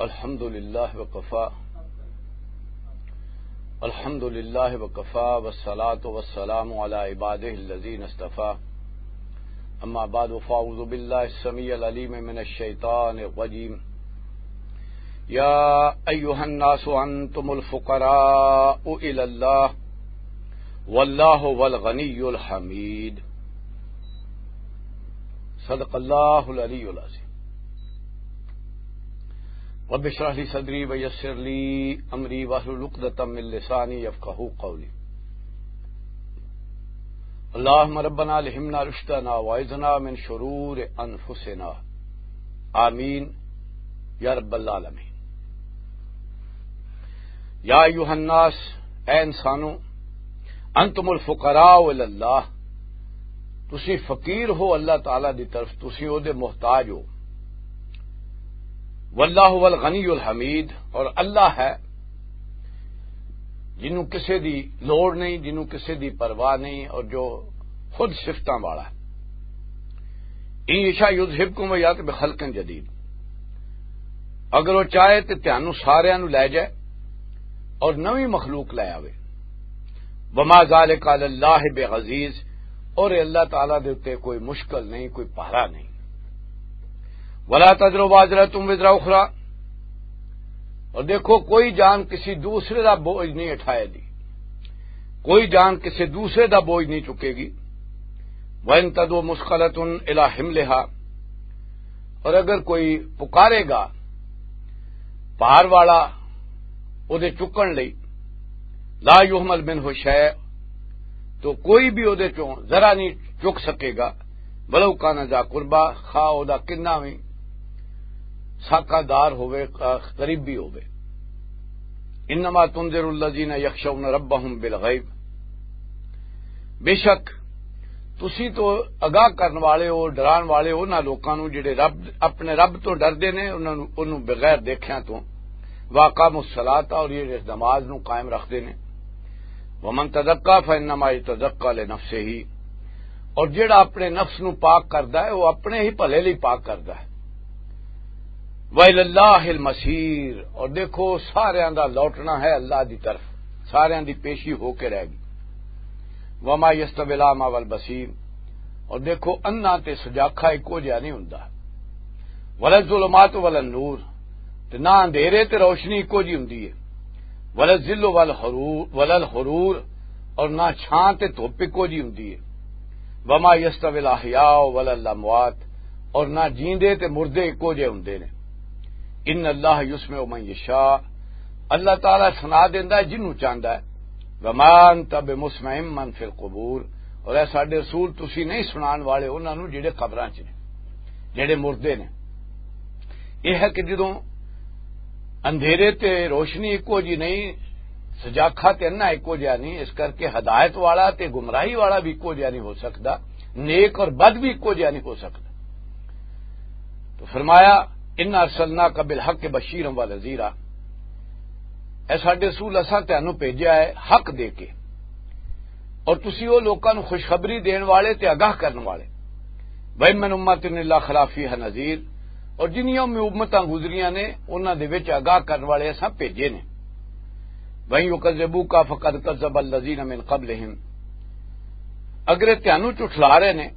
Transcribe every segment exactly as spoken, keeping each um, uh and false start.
الحمد لله وكفى. الحمد لله وكفى، والصلاة والسلام على عباده الذين اصطفى. أما بعد، فأعوذ بالله السميع العليم من الشيطان الرجيم. يا أيها الناس أنتم الفقراء إلى الله، والله هو الغني الحميد. صدق الله العلي العظيم. رب اشرح لي صدري ويسر لي أمري واحلل عقدة من لساني يفقهوا قولي. اللهم ربنا ألهمنا رشدنا وأعذنا من شرور أنفسنا. آمين يا رب العالمين. یا ایھا الناس، اے انسانو، انتم الفقراء الی اللہ، تسی فقیر ہو اللہ تعالیٰ دی طرف، تسی او دے محتاج ہو۔ واللہ هو الغنی الحمید، اور اللہ ہے جنوں کسے دی لوڑ نہیں، جنوں کسے دی پرواہ نہیں، اور جو خود صفتاں والا ہے۔ ان یشاء یذہبکم و یات بخلق جدید، اگر وہ چاہے تے تہانوں ساریاں نوں لے جائے اور نویں مخلوق لے آوے۔ وما ذالک علی اللہ بعزیز، اور اے اللہ تعالیٰ دے اُتے کوئی مشکل نہیں، کوئی پہرا نہیں۔ ولا تزر وازرۃ وزر اخری، اور دیکھو، کوئی جان کسی دوسرے دا بوجھ نہیں اٹھائے دی، کوئی جان کسی دوسرے دا بوجھ نہیں چکے گی۔ وَإِن تَدْعُ مُثْقَلَةٌ إِلَىٰ حِمْلِهَا، اور اگر کوئی پکارے گا بھار والا او دے چکن لئی، لَا يُحْمَلُ مِنْهُ شَيْءٌ، تو کوئی بھی او دے چوں ذرا نہیں چک سکے گا۔ وَلَوْ كَانَ ذَا قُرْبَىٰ، خواہ او دا کنا بھی ساکا دار ہووے، قریبی ہووے۔ انما تنذر الذین یخشون ربهم بالغیب، بے شک تسی تو آگاہ کرن والے ہو، ڈران والے ہو انہاں لوکاں نوں جڑے رب، اپنے رب تو ڈردے نے، انہاں نوں، انہوں بغیر دیکھیاں تو، واقام الصلاۃ، اور یہ نماز نوں قائم رکھدے نے۔ ومن تزکا فانما یتزکا لنفسہ، اور جڑا اپنے نفس نو پاک کردا ہے، وہ اپنے ہی بھلے لئی پاک کردا ہے۔ وَإِلَى اللَّهِ الْمَصِيرُ، اور دیکھو، ساریاں دا لوٹنا ہے اللہ دی طرف، ساریاں دی پیشی ہو کے رہ گئی۔ وَمَا يَسْتَوِي الْأَعْمَىٰ وَالْبَصِيرُ، اور دیکھو، انا تے سجاکھا اکو جہا نہیں ہوندا۔ وَلَا الظُّلُمَاتُ وَلَا النُّورُ، تے نہ اندھیرے تے روشنی اکو جی ہوندی ہے۔ وَلَا الظِّلُّ وَلَا الْحَرُورُ، وَلَا الْحَرُورُ، اور نہ چھاں تے دھوپ اکو جی ہوندی ہے۔ وَمَا يَسْتَوِي الْأَحْيَاءُ وَلَا الْأَمْوَاتُ، اور نہ جیندے تے مردے اکو جے ہوندے نے۔ إِنَّ اللَّهَ يُسْمِعُ مَن يَشَاءُ، اللہ تعالیٰ سنا دیندا ہے جنوں چاہندا ہے۔ وَمَا أَنتَ بِمُسْمِعٍ مَّن فِي الْقُبُورِ، اور اے ساڈے رسول، تسی نہیں سنان والے انہاں نوں جڑے قبراں چ نے، جڑے مردے نے۔ یہ ہے کہ جدوں اندھیرے تے روشنی اکو جی نہیں، سجاکھا تے انا اکو جہا نہیں، اس کر کے ہدایت والا تے گمراہی والا بھی اکو جہا نہیں ہو سکدا، نیک اور بد بھی اکو جہا نہیں ہو سکدا۔ تو فرمایا، "انا ارسلناک بالحق بشیرا و نذیرا"، اے ساڈے رسول، اساں تانوں بھیجیا ہے حق دے کے، اور تسی او لوکاں نوں خوشخبری دین والے تے آگاہ کرن والے۔ وَإِن مِّنْ أُمَّةٍ إِلَّا خَلَا فِيهَا نَذِيرٌ، اور جنیاں بھی امتاں گزریاں نے، انہاں دے وچ آگاہ کرن والے اساں بھیجے نے۔ وَإِن يُكَذِّبُوكَ فَقَدْ كَذَّبَ الَّذِينَ مِن قَبْلِهِمْ، اگر یہ تہانوں جھٹلا رہے نے،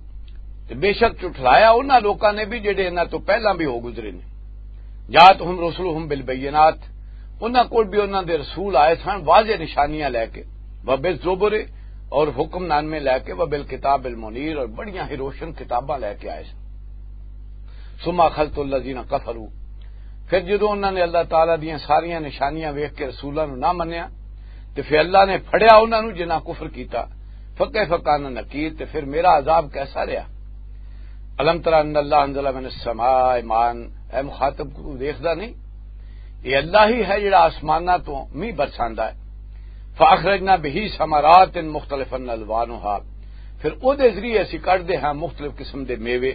تے بے شک جھٹلایا انہاں لوکاں نے بھی جڑے انہاں تو پہلاں بھی ہو گزرے نے۔ جَاءَتْهُمْ رُسُلُهُمْ بِالْبَيِّنَاتِ، انہاں کول بھی انہاں دے رسول آئے سن واضح نشانیاں لے کے، وَبِالزُّبُرِ، اور حکم نامے لے کے، وَبِالْكِتَابِ الْمُنِيرِ، اور بڑیاں ہی روشن کتاباں لے کے آئے سن۔ ثُمَّ أَخَذْتُ الَّذِينَ كَفَرُوا، پھر جدوں انہاں نے اللہ تعالیٰ دیاں ساریاں نشانیاں ویکھ کے رسولاں نوں نہ منیا، تے پھر اللہ نے پھڑیا انہاں نوں جنہاں کفر کیتا۔ فَكَيْفَ كَانَ نَكِيرِ، تے پھر میرا عذاب کیسا رہیا؟ أَلَمْ تَرَ أَنَّ اللَّهَ أَنزَلَ مِنَ السَّمَاءِ مَاءً، اے مخاطب کو دیکھدا نہیں؟ یہ اللہ ہی ہے جڑا آسماناں تو مینہ برساندا ہے۔ فَأَخْرَجْنَا بِهِ ثَمَرَاتٍ مُخْتَلِفًا أَلْوَانُهَا، پھر او دے ذریعے اسی کڈ دے ہاں مختلف قسم دے میوے،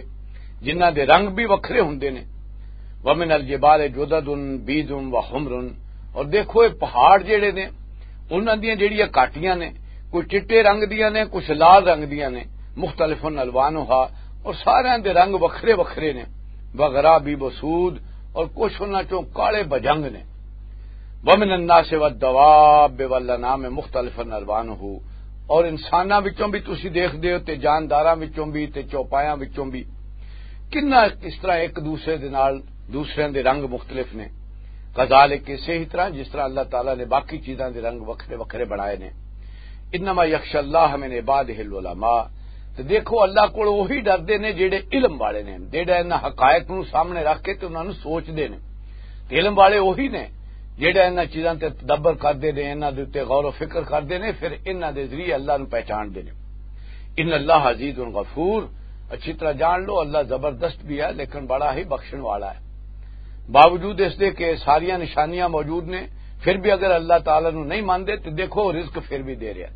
جنہاں دے رنگ بھی وکھرے ہوندے نے۔ وَمِنَ الْجِبَالِ جُدَدٌ بِيضٌ وَحُمْرٌ، اور دیکھو، یہ پہاڑ جڑے نے، انہاں دیاں جڑیاں کاٹیاں نے، کوئی چٹے رنگ دیاں نے، کچھ لال رنگ دیاں نے، مُخْتَلِفٌ أَلْوَانُهَا، اور ساریاں دے رنگ وکھرے وکھرے نے۔ وَغَرَابِيبُ سُودٌ، اور کچھ انہاں چوں کالے بجنگ نے۔ وَمِنَ النَّاسِ وَالدَّوَابِّ وَالْأَنْعَامِ مُخْتَلِفًا أَلْوَانُهُ، اور انساناں وچوں بھی تسی دیکھدے ہو تے جانداراں وچوں بھی تے چوپایاں وچوں بھی، کنا اس طرح ایک دوسرے دے نال، دوسرے دے رنگ مختلف نے۔ کذالک، اسی ہی طرح جس طرح اللہ تعالیٰ نے باقی چیزاں دے رنگ وکھرے وکھرے بنائے نے۔ انما یخشی اللہ من عبادہ العلماء۔ تے دیکھو، اللہ کول وہی ڈردے نے جڑے علم والے نے، جڑے انہاں حقائق نوں سامنے رکھ کے تے انہاں نوں سوچدے نے۔ تے علم والے وہی نے جڑے انہاں چیزاں تے تدبر کردے نے، انہاں دے اُتے غور و فکر کردے نے، پھر انہاں دے ذریعے اللہ نوں پہچاندے نے۔ ان اللہ عزیز غفور، اچھی طرح جان لو، اللہ زبردست بھی ہے لیکن بڑا ہی بخشن والا ہے۔ باوجود اس دے کہ ساریاں نشانیاں موجود نے، پھر بھی اگر اللہ تعالیٰ نوں نہیں مانتے تو دیکھو، وہ رزق پھر بھی دے رہا ہے۔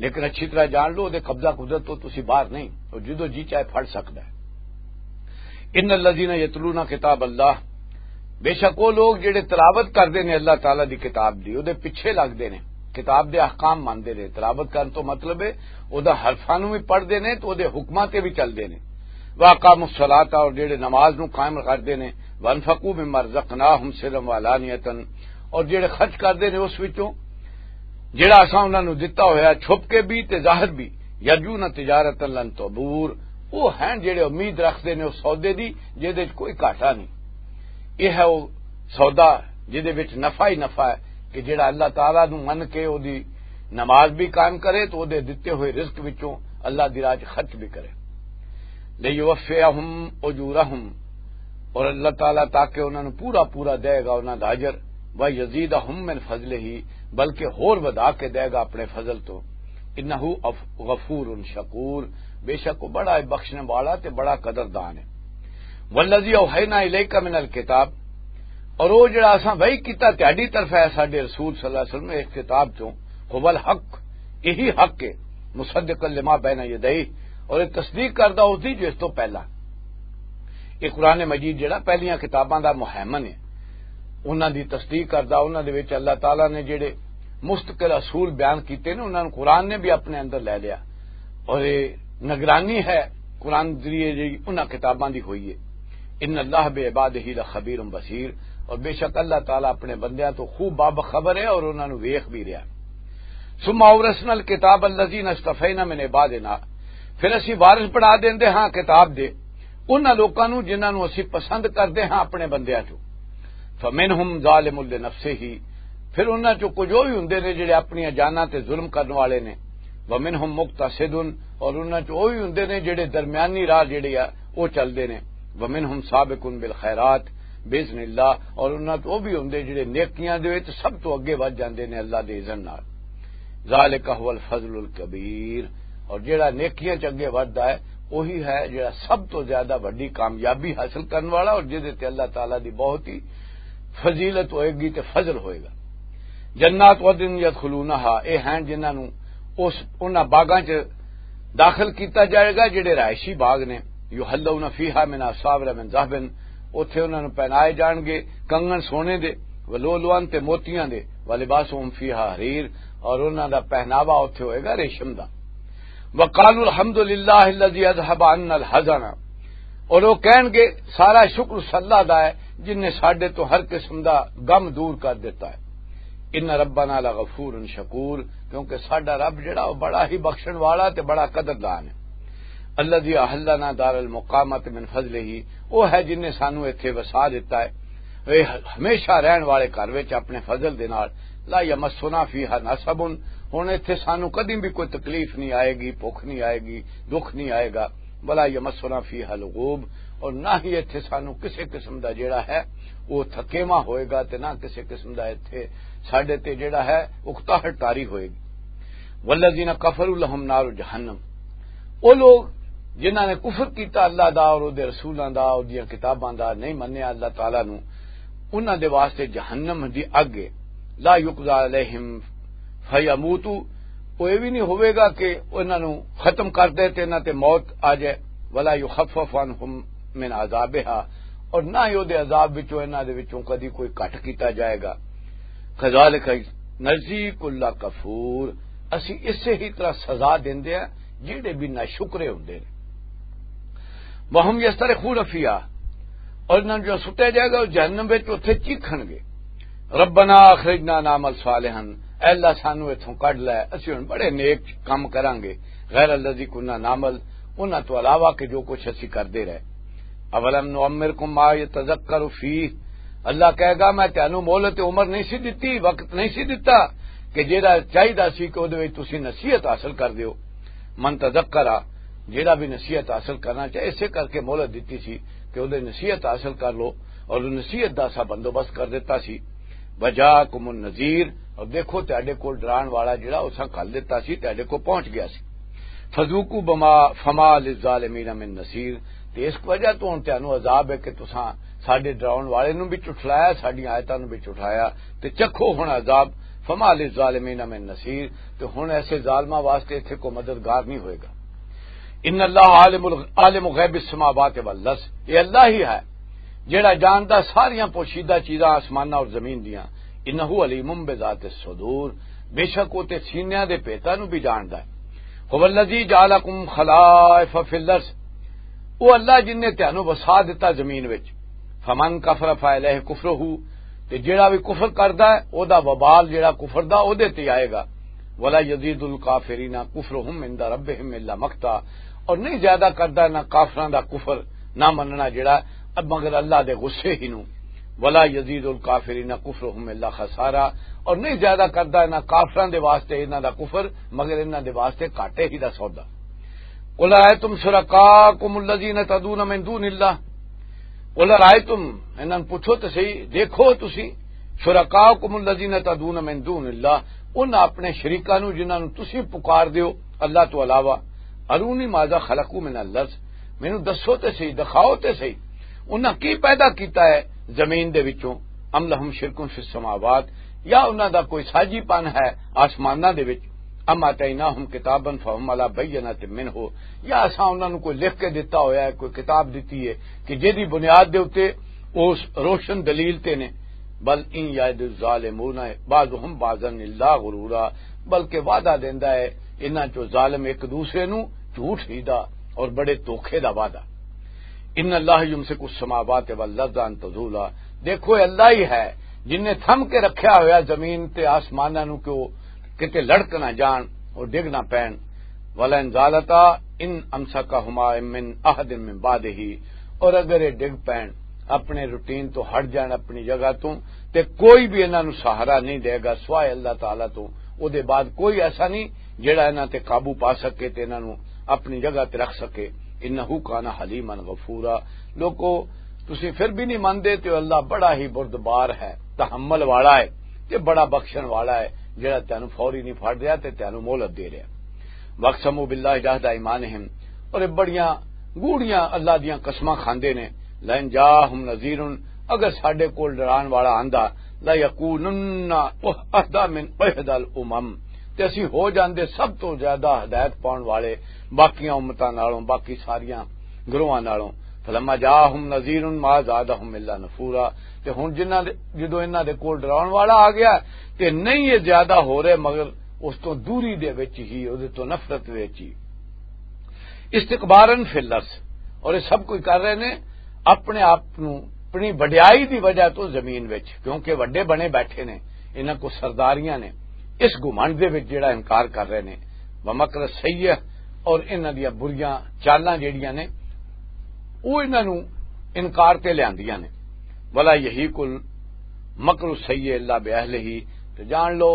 لیکن اچھی طرح جان لو، وہ قبضہ قدرت تو تسی باہر نہیں، وہ جدو جی چاہے پھڑ سکتا ہے۔ ان الذین یتلون کتاب اللہ، بے شک وہ لوگ جڑے تلاوت کردے نے اللہ تعالیٰ دی کتاب دی، وہ پیچھے لگدے نے، کتاب دے احکام ماندے نے۔ تلاوت کرن تو مطلب ہے، وہ حرفاں نوں بھی پڑھدے نے تو وہ حکماں تے بھی چلدے نے۔ واقاموا الصلاۃ، اور جڑے نماز نوں قائم کردے نے، وانفقوا مما رزقناہم سرا وعلانیۃ، اور جڑے خرچ کردے نے اس وچوں جڑا اساں انہاں نوں دتا ہویا چھپ کے بھی تے ظاہر بھی، یرجون تجارتا لن تبور، وہ ہیں جڑے امید رکھدے نے اس سودے دی جہدے وچ کوئی گھاٹا نہیں۔ یہ ہے وہ سودا جہدے وچ نفع ہی نفع ہے، کہ جڑا اللہ تعالیٰ نوں من کے او دی نماز بھی قائم کرے تو او دے دتے ہوئے رزق وچوں اللہ دی راہ چ خرچ بھی کرے۔ لیوفیہم اجورہم، اور اللہ تعالیٰ تاکہ انہاں نوں پورا پورا دے گا انہاں دا اجر، ویزیدہم من فضلہ، بلکہ ہور ودھا کے دے گا اپنے فضل تو۔ انہ اف-، غفور شکور، بے شک وہ بڑا بخشنے والا تے بڑا قدردان ہے۔ والذی اوحینا الیک من الکتاب، اور وہ جڑا اساں وحی کیتا تہاڈی طرف ہے ساڈے رسول صلی اللہ علیہ وسلم اس کتاب چوں، هو الحق، یہی حق ہے، مصدقا لما بین یدیہ، اور یہ تصدیق کردا اس دی جو اس تو پہلا۔ یہ قرآن مجید جڑا پہلیاں کتاباں دا مہیمن ہے، انہاں دی تصدیق کردا، انہاں دے وچ اللہ تعالیٰ نے جڑے مستقل اصول بیان کیتے نے، انہاں نوں قرآن نے بھی اپنے اندر لے لیا، اور یہ نگرانی ہے قرآن ذریعے جڑی انہاں کتاباں دی ہوئی ہے۔ ان اللہ بعبادہ لخبیر بصیر، اور بے شک اللہ تعالیٰ اپنے بندیاں تو خوب باب خبر ہے اور انہاں نوں ویکھ بھی رہا۔ ثم اورثنا الکتاب الذین اصطفینا من عبادنا، پھر اسی وارث بنا دیندے ہاں کتاب دے انہاں لوکاں نوں جنہاں نوں اسی پسند کردے ہاں اپنے بندیاں چوں۔ فمنہم ظالم لنفسہ، پھر انہاں چوں کچھ وہ بھی ہوندے نے جڑے اپنیاں جاناں تے ظلم کرن والے نے۔ ومنہم مقتصد، اور انہاں چوں وہ بھی ہوندے نے جڑے درمیانی راہ جڑے آ وہ چلدے نے۔ ومنہم سابق بالخیرات باذن اللہ، اور انہاں چوں وہ بھی ہوندے جڑے نیکیاں دے وچ سب تو اگے ودھ جاندے نے اللہ دے اذن نال۔ ذالک هو الفضل الکبیر، اور جڑا نیکیاں چ اگے ودھدا ہے، وہی ہے جڑا سب تو زیادہ وڈی کامیابی حاصل کرن والا، اور جدے تے اللہ تعالیٰ دی بہت ہی فضیلت ہوئے گی تے فضل ہوئے گا۔ جنات عدن یدخلونہا، اے ہیں جنہاں نوں اس، انہاں باغاں چ داخل کیتا جائے گا جڑے رہائشی باغ نے۔ یحلون فیہا من اساور من ذہب، اوتھے انہاں نوں پہنائے جان گے کنگن سونے دے، ولؤلؤا، تے موتیاں دے، ولباسہم فیہا حریر، اور انہاں دا پہناوا اوتھے ہوئے گا ریشم دا۔ وقالوا الحمد للہ الذی اذہب عنا الحزن، اور وہ کہن گے سارا شکر اس اللہ دا ہے جن نے ساڈے تو ہر قسم دا غم دور کر دیتا ہے۔ ان ربنا لغفور شکور، کیونکہ ساڈا رب جڑا وہ بڑا ہی بخشن والا تے بڑا قدردان ہے۔ الذی احلنا دار المقامت من فضلہ، وہ ہے جن نے سانو ایتھے وسا دیتا ہے، اے ہمیشہ رہن والے گھر وچ اپنے فضل دے نال۔ لا یمسنا فیہا نصب، ہن ایتھے سانو کدی بھی کوئی تکلیف نہیں آئے گی، بھوک نہیں آئے گی، دکھ نہیں آئے گا۔ ولا یمسنا فیہا لغوب، اور نہ ہی ایتھے سانو کسے قسم دا جڑا ہے وہ تھکیواں ہوئے گا، تے نہ کسے قسم دا ایتھے ساڈے تے جڑا ہے اکتاہٹ طاری ہوئے گی۔ والذین کفروا لہم نار جہنم، وہ لوگ جنہاں نے کفر کیتا اللہ دا اور اودے رسولاں دا اور دیاں کتاباں دا، نہیں منیا اللہ تعالیٰ نو، انہاں دے واسطے جہنم دی اگ ہے۔ لا یقضی علیہم فیموتو، وہ یہ بھی نہیں ہوئے گا کہ انہاں نو ختم کر دے تے انہاں تے موت آ جائے۔ ولا یخفف عنہم من عذابہا، اور نہ ہی اودے عذاب وچوں، انہاں دے وچوں کدی کوئی گھٹ کیتا جائے گا۔ کذالک نجزی کل کفور، اسی اسے ہی طرح سزا دیندے ہیں جڑے بھی ناشکرے ہوندے نے۔ وہم یسترخون فیہا، اور انہاں نوں جو سٹیا جائے گا، وہ جہنم وچ اتھے چیخن گے، "ربنا اخرجنا نعمل صالحا"، اے اللہ، سانو اتھوں کڈ لے، اسی ہن بڑے نیک کم کراں گے، "غیر الذی کنا نعمل"، انہاں تو علاوہ کہ جو کچھ اسی کردے رہے۔ "اولم نعمرکم ما یتذکر فیہ"، اللہ کہے گا، "میں تانوں مہلت عمر نہیں سی دتی، وقت نہیں سی دتا کہ جیڑا چاہیدا سی کہ اودے وچ تسی نصیحت حاصل کر دیو؟" من تذکر، جیڑا بھی نصیحت حاصل کرنا چاہے، اسے کر کے مہلت دتی سی کہ اودے نصیحت حاصل کر لو، اور نصیحت دا سا بندوبست کر دیتا سی۔ "وجاءکم النذیر"، اور دیکھو، تہاڈے کول ڈران والا جیڑا اساں گھل دیتا سی، تہاڈے کول پہنچ گیا سی۔ "فذوقوا بما فما للظالمین من نصیر"، تے اس وجہ تو ہن تانوں عذاب ہے کہ تساں ساڈے ڈراون والے نوں بھی جھٹلایا، ساڈیاں آیتاں نوں بھی جھٹلایا، تے چکھو ہن عذاب، "فما للظالمین من نصیر"، تے ہن ایسے ظالماں واسطے اتھے کوئی مددگار نہیں ہوئے گا۔ "ان اللہ عالم ال-، عالم غیب السماوات والارض"، یہ اللہ ہی ہے جیڑا جاندا ساریاں پوشیدہ چیزاں آسماناں اور زمین دیاں۔ "انہ علیم بذات الصدور"، بے شک وہ تے سینیاں دے پیتاں نوں بھی جاندا ہے۔ "هو الذی جعلکم خلائف فی الارض"، وہ اللہ جن نے تانوں وسا دتا زمین وچ۔ "فمن کفر فعلیہ کفرہ"، تے جیڑا بھی کفر کردا ہے، او دا وبال جیڑا کفر دا، او دے تے آئے گا۔ "ولا یزید الکافرین کفرہم عند ربہم الا مقتا"، اور نہیں زیادہ کردا نہ کافراں دا کفر، نہ مننا جیڑا، مگر اللہ دے غصے ہی نوں۔ "ولا یزید الکافرین کفرہم الا خسارا"، اور نہیں زیادہ کردا نہ کافراں دے واسطے انہاں دا کفر، مگر انہاں دے واسطے گھاٹے ہی دا سودا۔ "قل ارائیتم شرکاءکم الذین تدعون من دون اللہ"، "قل ارائیتم"، انہاں نوں پوچھو تے صحیح، دیکھو تسی، "شرکاءکم الذین تدعون من دون اللہ"، انہاں اپنے شریکاں نوں جنہاں نوں تسی پکار دیو اللہ تو علاوہ، "ارونی ماذا خلقوا من الارض"، مینوں دسو تے صحیح، دکھاؤ تے صحیح، انہاں کی پیدا کیتا ہے زمین دے وچوں، "ام لہم شرک فی السماوات"، یا انہاں دا کوئی ساجی پن ہے آسماناں دے وچ، "ام آتیناہم کتابا فہم علی بینۃ منہ"، یا اساں انہاں نوں کوئی لکھ کے دتا ہویا ہے، کوئی کتاب دتی ہے کہ جیدی بنیاد دے اُتے اس روشن دلیل تے نے۔ "بل ان یعد الظالمون بعضهم بعضا الا غرورا"، بلکہ وعدہ دیندا ہے انہاں چوں ظالم ایک دوسرے نوں جھوٹ ہی دا اور بڑے دھوکے دا وعدہ۔ "ان اللہ یمسک السماوات والارض ان تزولا"، دیکھو، اے اللہ ہی ہے جن نے تھم کے رکھیا ہویا زمین تے آسماناں نوں کہ وہ کتے لڑک نہ جان اور ڈگ نہ پین۔ "ولئن زالتا ان امسکہما من احد من بعدہ"، اور اگر یہ ڈگ پین، اپنے روٹین تو ہٹ جان، اپنی جگہ تو، تے کوئی بھی انہاں نوں سہارا نہیں دے گا سوائے اللہ تعالیٰ تو۔ او دے بعد کوئی ایسا نہیں جڑا انہاں تے قابو پا سکے تے انہاں نوں اپنی جگہ تے رکھ سکے۔ "انہ کان حلیما غفورا"، لوکو، تسی پھر بھی نہیں مندے تے اللہ بڑا ہی بردبار ہے، تحمل والا ہے تے بڑا بخشن والا ہے، جڑا تینوں فوری نہیں پھڑ رہا تے تینوں مہلت دے رہا۔ "واقسموا باللہ جہد ایمانہم"، اور یہ بڑیاں گوڑیاں اللہ دیاں قسماں کھاندے نے، "لئن جاءہم نذیر"، اگر ساڈے کول ڈران والا آندا، "لیکونن اہدی من احدی الامم"، تے اسی ہو جاندے سب تو زیادہ ہدایت پاؤن والے باقیاں امتاں نالوں، باقی ساریاں گروہاں نالوں۔ "فلما جاءہم نذیر ما زادہم الا نفورا"، تے ہن جنہاں دے، جدوں انہاں دے کول ڈراؤن والا آ گیا، تے نہیں یہ زیادہ ہو رہے مگر اس تو دوری دے وچ ہی، اس تو نفرت وچ ہی۔ "استکبارا فی الارض"، اور یہ سب کچھ کر رہے نے اپنے آپ نو، اپنی وڈیائی دی وجہ تو زمین وچ، کیونکہ وڈے بنے بیٹھے نے، انہاں کو سرداریاں نے، اس گھمنڈ دے وچ جڑا انکار کر رہے نے، "ومکر السیئ"، اور انہاں دیاں بریاں چالاں جڑیاں نے، وہ انہاں نو انکار تے لیاندیاں نے۔ "ولا یحیق المکر السیئ الا باہلہ"، تے جان لو،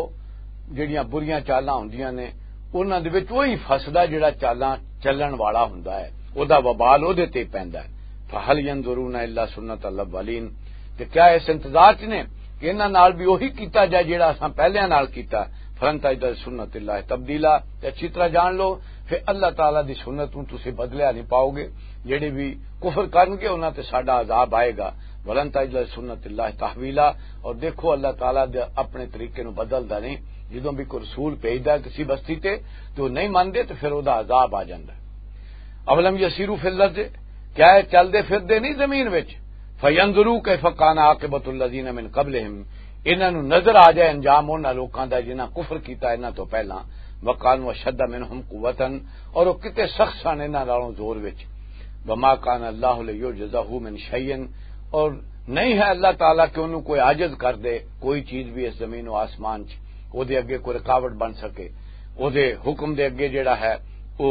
جڑیاں بریاں چالاں ہوندیاں نے، انہاں دے وچ وہی فسدا جڑا چالاں چلن والا ہوندا ہے، او دا وبال او دے تے پیندا ہے۔ "فہل ینظرون الا سنت الاولین"، تے کیا اس انتظار چ نے کہ انہاں نال بھی وہی کیتا جائے جڑا اساں پہلیاں نال کیتا؟ "فلن تجد لسنت اللہ تبدیلا"، تے اچھی طرح جان لو، پھر اللہ تعالیٰ دی سنت نوں تسی بدلیا نہیں پاؤ گے۔ جڑے بھی کفر کرن گے، انہاں تے ساڈا عذاب آئے گا۔ "ولن تجد لسنت اللہ تحویلا"، اور دیکھو، اللہ تعالیٰ دے اپنے طریقے نوں بدلدا نہیں۔ جدوں بھی کوئی رسول بھیجدا ہے کسی بستی تے، تے وہ نہیں مندے، تے پھر وہ دا عذاب آ جاندا ہے۔ "اولم یسیروا فی الارض"، کیا یہ چلدے پھردے نہیں زمین وچ؟ "فینظروا کیف کان عاقبۃ الذین من قبلہم"، انہاں نوں نظر آ جائے انجام انہاں لوکاں دا جنہاں کفر کیتا انہاں تو پہلاں۔ "وکانوا اشد منہم قوۃ"، اور وہ کتے سخت سن انہاں نالوں زور وچ۔ "وما کان اللہ لیعجزہ من شیء"، اور نہیں ہے اللہ تعالیٰ کہ انہوں کوئی عاجز کر دے، کوئی چیز بھی اس زمین و آسمان چ او دے اگے کوئی رکاوٹ بن سکے۔ او دے حکم دے اگے جڑا ہے، او،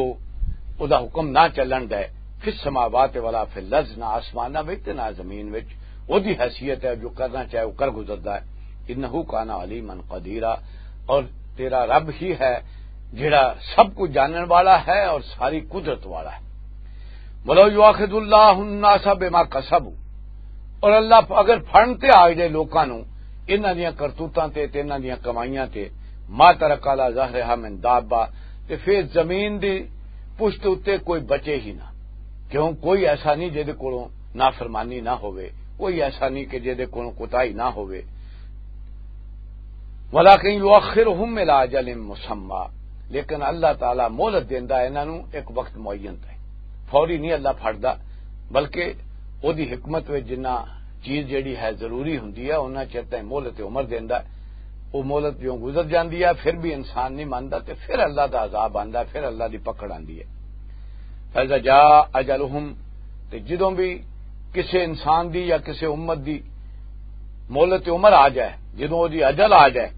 او دا حکم نہ چلن دے۔ فی السماوات ولا فی الارض، نہ آسماناں وچ تے نہ زمین وچ۔ او دی حیثیت ہے، جو کرنا چاہے او کر گزردا ہے۔ انہ کان علیما قدیرا، اور تیرا رب ہی ہے جڑا سب کچھ جانن والا ہے اور ساری قدرت والا ہے۔ ولو یؤاخذ اللہ الناس بما کسبوا، اور اللہ اگر فن تے آ جائے لوکاں نو انہاں دیاں کرتوتاں تے، تے انہاں دیاں کمائیاں تے، ما ترک علی ظہرہا من دابہ، تے پھر زمین دی پشت اتے کوئی بچے ہی نہ۔ کیوں؟ کوئی ایسا نہیں جہدے کولوں نافرمانی نہ ہوئے، کوئی ایسا نہیں کہ جہدے کولوں کوتاہی نہ ہوئے۔ ولیکن یؤخرہم الی اجل مسمی، لیکن اللہ تعالیٰ مہلت دیندا ہے انہاں نوں ایک وقت معین تے، فوری نہیں اللہ پھڑدا، بلکہ او دی حکمت وچ جنہ چیز جڑی ہے ضروری ہوندی ہے، انہاں چر تائیں مہلت عمر دیندا ہے۔ او مہلت جو گزر جاندی ہے، پھر بھی انسان نہیں مندا تے پھر اللہ دا عذاب آندا ہے، پھر اللہ دی پکڑ آندی ہے۔ فَإِذَا جَاءَ أَجَلُهُمْ، تے جدوں بھی کسے انسان دی یا کسے امت دی مہلت عمر آ جائے، جدوں او دی اجل آ جائے،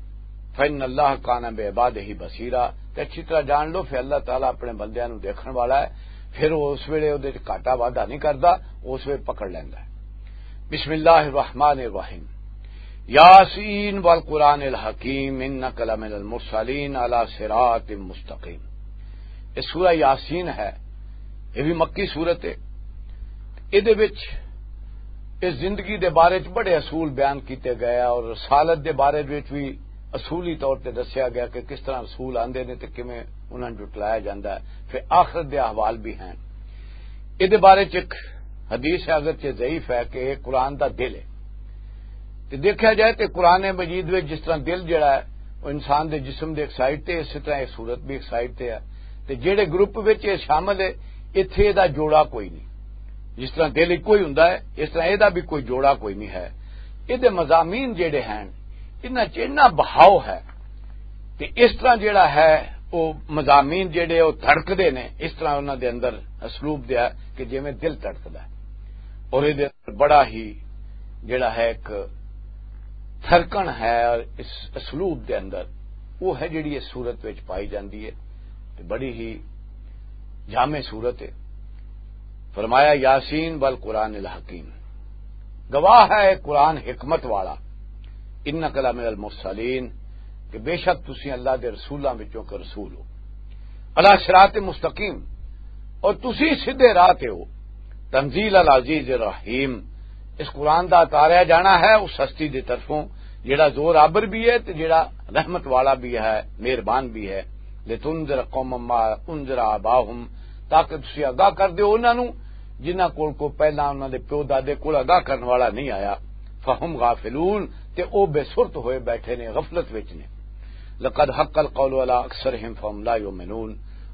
فَإِنَّ اللَّهَ كَانَ بِعِبَادِهِ بَصِيرًا، تے اچھی طرح جان لو، پھر اللہ تعالیٰ اپنے بندیاں نوں دیکھن والا ہے، پھر او اس ویلے او دے وچ گھاٹا وعدہ نہیں کردا، اس ویلے پکڑ لیندا ہے۔ بسم اللہ الرحمن الرحیم۔ یاسین والقرآن الحکیم، انک لمن المرسلین علی صراط مستقیم۔ یہ سورہ یاسین ہے، یہ بھی مکی سورت ہے۔ یہ دے وچ اس زندگی دے بارے چ بڑے اصول بیان کیتے گئے اور رسالت دے بارے وچ بھی اصولی طور تے دسیا گیا کہ کس طرح رسول آندے نے تے کیویں انہاں نوں جٹلایا جاندا ہے۔ پھر آخرت دے احوال بھی ہیں۔ یہ دے بارے چ ایک حدیث ہے، اگرچہ ضعیف ہے، کہ یہ قرآن دا دل ہے۔ تے دیکھا جائے تے قرآن مجید وچ جس طرح دل جڑا ہے، وہ انسان دے جسم دے ایک سائیڈ تے، اسی طرح یہ صورت بھی ایک سائیڈ تے ہے۔ تے جڑے گروپ وچ یہ شامل ہے، اتھے دا جوڑا کوئی نہیں۔ جس طرح دل ایک کوئی ہوندا ہے، اس طرح یہ دا بھی کوئی جوڑا کوئی نہیں ہے۔ یہ دے مضامین جڑے ہیں، انہاں چ اتنا بہاؤ ہے۔ تے اس طرح جڑا ہے، وہ مضامین جڑے وہ دھڑکدے نے، اس طرح انہاں دے اندر اسلوب دیا کہ جویں دل دھڑکدا ہے۔ اور یہ دے اندر بڑا ہی جڑا ہے ایک دھڑکن ہے، اور اس اسلوب دے اندر وہ ہے جڑی اس صورت وچ پائی جاندی ہے۔ تے بڑی ہی جامع صورت ہے۔ فرمایا، یاسین والقرآن الحکیم، گواہ ہے قرآن حکمت والا، انک لمن المرسلین، کہ بے شک تسی اللہ دے رسولاں وچوں کہ رسول ہو، علی صراط مستقیم، اور تسی سیدھے راہ تے ہو، تنزیل العزیز الرحیم، اس قرآن دا اتاریا جانا ہے اس ہستی دی طرفوں جڑا زور آبر بھی ہے تے جڑا رحمت والا بھی ہے، مہربان بھی ہے۔ لتنذر قوما ما انذر آباؤہم، تاکہ تسی آگاہ کر دیو انہاں نوں جنہاں کول کو پہلاں انہاں دے پیو دادے کول آگاہ کرن والا نہیں آیا۔ فہم غافلون، تے او بے سرت ہوئے بیٹھے نے، غفلت وچ نے۔ لقد حق القول علی اکثرہم فہم لا یؤمنون،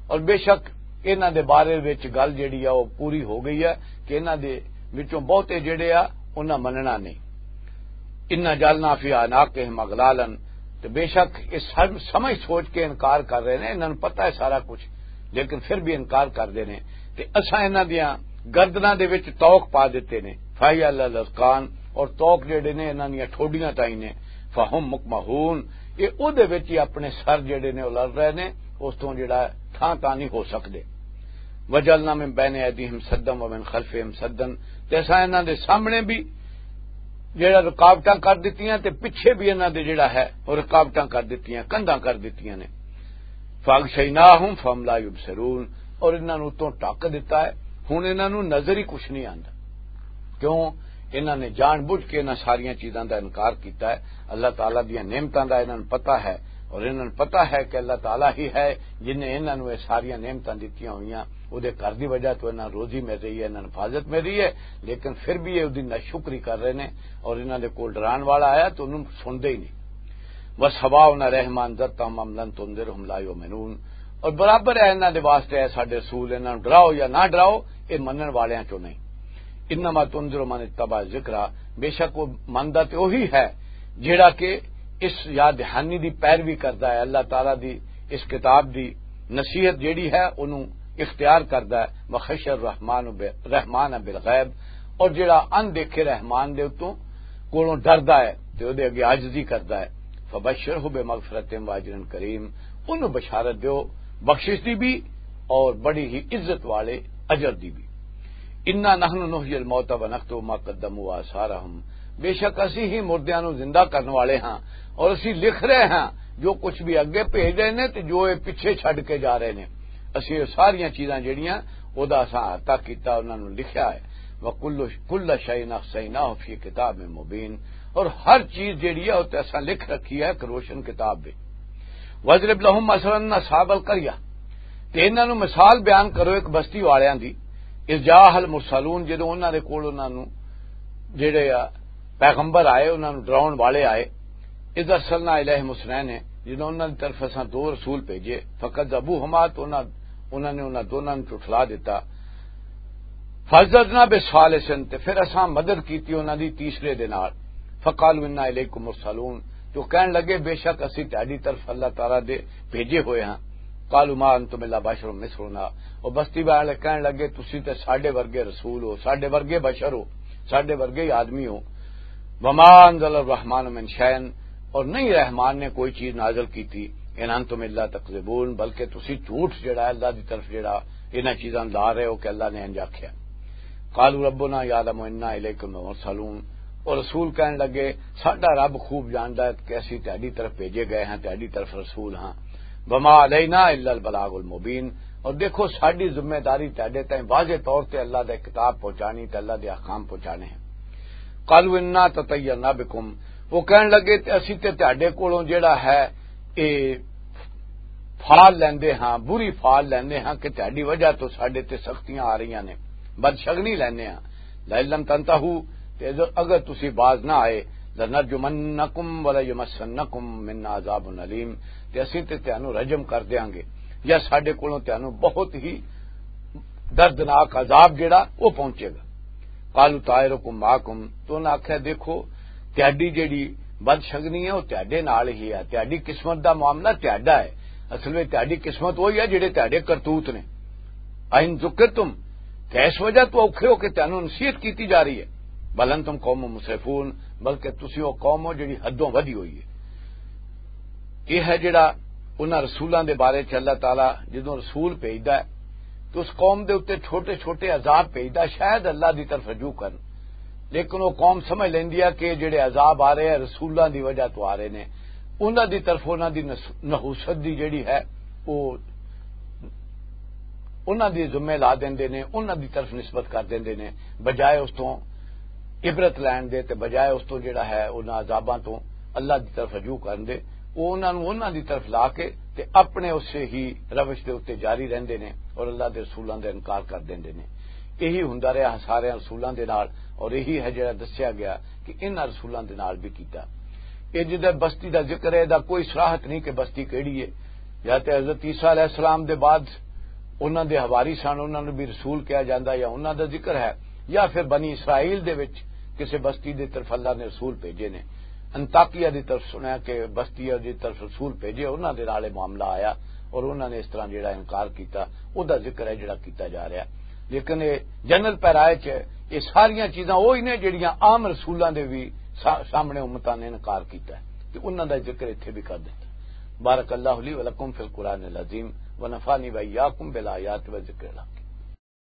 اور بے شک انہاں دے بارے وچ گل جڑی آ، او پوری ہو گئی ہے کہ انہاں دے وچوں بہتے جڑے آ، انہاں مننا نہیں۔ انا جعلنا فی اعناقہم اغلالا، تے بے شک یہ سب سمجھ سوچ کے انکار کر رہے ہیں، انہاں نوں پتہ ہے سارا کچھ، لیکن پھر بھی انکار کر دے نے۔ تے اساں انہاں دیاں گردناں دے وچ توق پا دتے نے، فہی علی الاذقان، اور توق جڑے نے انہاں دیاں ٹھوڈیاں تائیں نے، فہم مقمحون، یہ او دے وچ ہی اپنے سر جڑے نے او لڑ رہے نے، اس توں جڑا تھاں تاں نہیں ہو سکدے۔ وجعلنا من بین ایدیہم سدا ومن خلفہم سدا، تے اساں انہاں دے سامنے بھی جڑا رکاوٹاں کر دتیاں تے پچھے بھی انہاں دے جڑا ہے او رکاوٹاں کر دتیاں، کندھاں کر دتیاں نے۔ فاغشیناہم فہم لا یبصرون، اور انہاں نوں اتوں ڈھک دتا ہے، ہن انہاں نوں نظر ہی کچھ نہیں آندا۔ کیوں؟ انہاں نے جان بوجھ کے انہاں ساریاں چیزاں دا انکار کیتا ہے۔ اللہ تعالیٰ دیاں نعمتاں دا انہاں نوں پتہ ہے، اور انہاں نوں پتہ ہے کہ اللہ تعالیٰ ہی ہے جن نے انہاں نوں یہ ساریاں نعمتاں دتیاں ہوئیاں۔ او دے گھر دی وجہ تو انہاں نوں روزی مل رہی ہے، انہاں نوں حفاظت مل رہی ہے، لیکن پھر بھی یہ او دی ناشکری کر رہے نے، اور انہاں دے کول ڈران والا آیا تو انہوں سن دے ہی نہیں۔ وسواء علیہم انذرتہم ام لم تنذرہم لا یؤمنون، اور برابر ہے انہاں دے واسطے، اے ساڈے رسول، انہاں نوں ڈراؤ یا نہ ڈراؤ، اے منن والیاں چوں نہیں۔ انما تنذر من اتبع الذکر، بے شک وہ مندا تے وہی ہے جیڑا کہ اس یاد دہانی دی پیروی کردا ہے، اللہ تعالیٰ دی اس کتاب دی نصیحت جیڑی ہے انہوں اختیار کردا ہے۔ وخشی الرحمن ب-، رحمان بالغیب، اور جڑا ان دیکھے رحمان دے اتوں کولوں ڈردا ہے تے اودے اگے عاجزی کردا ہے، فبشرہ بمغفرۃ واجر کریم، اونوں بشارت دیو بخشش دی بھی اور بڑی ہی عزت والے اجر دی بھی۔ انا نحن نحیی الموتى ونکتب ما قدموا وآثارهم، بے شک اسی ہی مردیاں نوں زندہ کرن والے ہاں، اور اسی لکھ رہے ہاں جو کچھ بھی اگے بھیج رہے نے تے جو اے پیچھے چھڈ کے جا رہے نے۔ اسی اے ساریاں چیزاں جڑیاں، او دا اساں احاطہ کیتا، انہاں نوں لکھیا ہے۔ وکل، کل شیء احصیناہ فی کتاب مبین، اور ہر چیز جڑی ہے او تے اساں لکھ رکھی ہے ایک روشن کتاب وچ۔ واضرب لهم مثلا اصحاب القریہ، تے انہاں نوں مثال بیان کرو ایک بستی والیاں دی، اذ جاء المرسلون، جدوں انہاں دے کول انہاں نوں جڑے آ پیغمبر آئے، انہاں نوں ڈراؤن والے آئے، اذ ارسلنا الیہم اثنین، جدوں انہاں دی طرف اساں دو رسول بھیجے، فکذبوہما، تو انہاں، انہاں نے انہاں دوناں نوں جھٹلا دتا، فعززنا بثالث، تے پھر اساں مدد کیتی انہاں دی تیسرے دے نال، فقالوا انا الیکم مرسلون، تو کہن لگے بے شک اسی تہاڈی طرف اللہ تعالیٰ دے بھیجے ہوئے ہاں۔ قالوا ما انتم الا بشر مثلنا، او بستی والے کہن لگے تسی تے ساڈے ورگے رسول ہو، ساڈے ورگے بشر ہو، ساڈے ورگے ہی آدمی ہو۔ وما انزل الرحمن من شیء، اور نہیں رحمان نے کوئی چیز نازل کیتی، ان انتم الا تکذبون، بلکہ تسی جھوٹ جڑا ہے اللہ دی طرف جڑا انہاں چیزاں لا رہے ہو کہ اللہ نے انج آکھیا۔ قالوا ربنا یعلم انا الیکم لمرسلون، اور رسول کہن لگے ساڈا رب خوب جاندا ہے کہ اسی تہاڈی طرف بھیجے گئے ہاں، تہاڈی طرف رسول ہاں۔ وما علینا الا البلاغ المبین، اور دیکھو ساڈی ذمہ داری تہاڈے تائیں واضح طور تے اللہ دا کتاب پہنچانی تے اللہ دے احکام پہنچانے ہیں۔ قالوا انا تطیرنا بکم، وہ کہن لگے تے اسی تے تہاڈے کولوں جڑا ہے اے پھال لیندے ہاں، بری پھال لیندے ہاں کہ تہاڈی وجہ تو ساڈے تے سختیاں آ رہیاں نے، بدشگنی لیندے ہاں۔ لئن لم تنتہوا، تے اگر، اگر تسی باز نہ آئے، لنرجمنکم ولیمسنکم منا عذاب الیم، تے اسی تے تہانوں رجم کر دیاں گے یا ساڈے کولوں تہانوں بہت ہی دردناک عذاب جڑا وہ پہنچے گا۔ قالوا طائرکم معکم، تو انہاں آکھیا دیکھو تہاڈی جڑی بدشگنی ہے وہ تہاڈے نال ہی ہے، تہاڈی قسمت دا معاملہ تہاڈا ہے۔ اصل وچ تہاڈی قسمت وہی ہے جڑے تہاڈے کرتوت نے۔ ان ذکرتم، کہ اس وجہ تو اوکھے ہو کہ تہانوں نصیحت کیتی جا رہی ہے۔ بل انتم قوم مسرفون، بلکہ تسی وہ قوم ہو جڑی حدوں ودھی ہوئی ہے۔ یہ ہے جڑا انہاں رسولاں دے بارے چ اللہ تعالیٰ جدوں رسول بھیجدا ہے تو اس قوم دے اُتے چھوٹے چھوٹے عذاب بھیجدا ہے، شاید اللہ دی طرف رجوع کرن، لیکن وہ قوم سمجھ لیندی ہے کہ جڑے عذاب آ رہے ہیں رسولاں دی وجہ تو آ رہے نے، انہاں دی طرف انہاں دی نس-، نحوست دی جڑی ہے وہ انہاں دی ذمہ لا دیندے نے، انہاں دی طرف نسبت کر دیندے نے، بجائے اس تو عبرت لین دے تے بجائے اس تو جڑا ہے انہاں عذاباں تو اللہ دی طرف رجوع کرن دے۔ وہ انہاں نوں انہاں دی طرف لا کے تے اپنے اسے ہی روش دے اُتے جاری رہندے نے اور اللہ دے رسولاں دا انکار کر دیندے نے۔ یہی ہوندا رہیا سارے رسولاں دے نال، اور یہی ہے جڑا دسیا گیا کہ انہاں رسولاں دے نال بھی کیتا۔ یہ جدھر بستی دا ذکر ہے، دا کوئی صراحت نہیں کہ بستی کیڑی ہے۔ یا تے حضرت عیسیٰ علیہ السلام دے بعد انہاں دے حواری سن، انہاں نوں بھی رسول کہا جاندا، یا انہاں دا ذکر ہے، یا پھر بنی اسرائیل دے وچ کسے بستی دے طرف اللہ نے رسول بھیجے نے۔ انطاکیہ دی طرف سنیا کہ بستی دی طرف رسول بھیجے، انہاں دے نال اے معاملہ آیا اور انہاں نے اس طرح جڑا انکار کیتا، او دا ذکر ہے جڑا کیتا جا رہا۔ لیکن اے جنرل پیرائے چ اے ساریاں چیزاں وہی نے جڑیاں عام رسولاں دے بھی سا-، سامنے امتاں نے انکار کیتا ہے تے انہاں دا ذکر اتھے بھی کر دیتا۔ بارک اللہ لی ولکم فی القرآن العظیم ونفعنی وإیاکم بالآیات والذکر الحکیم۔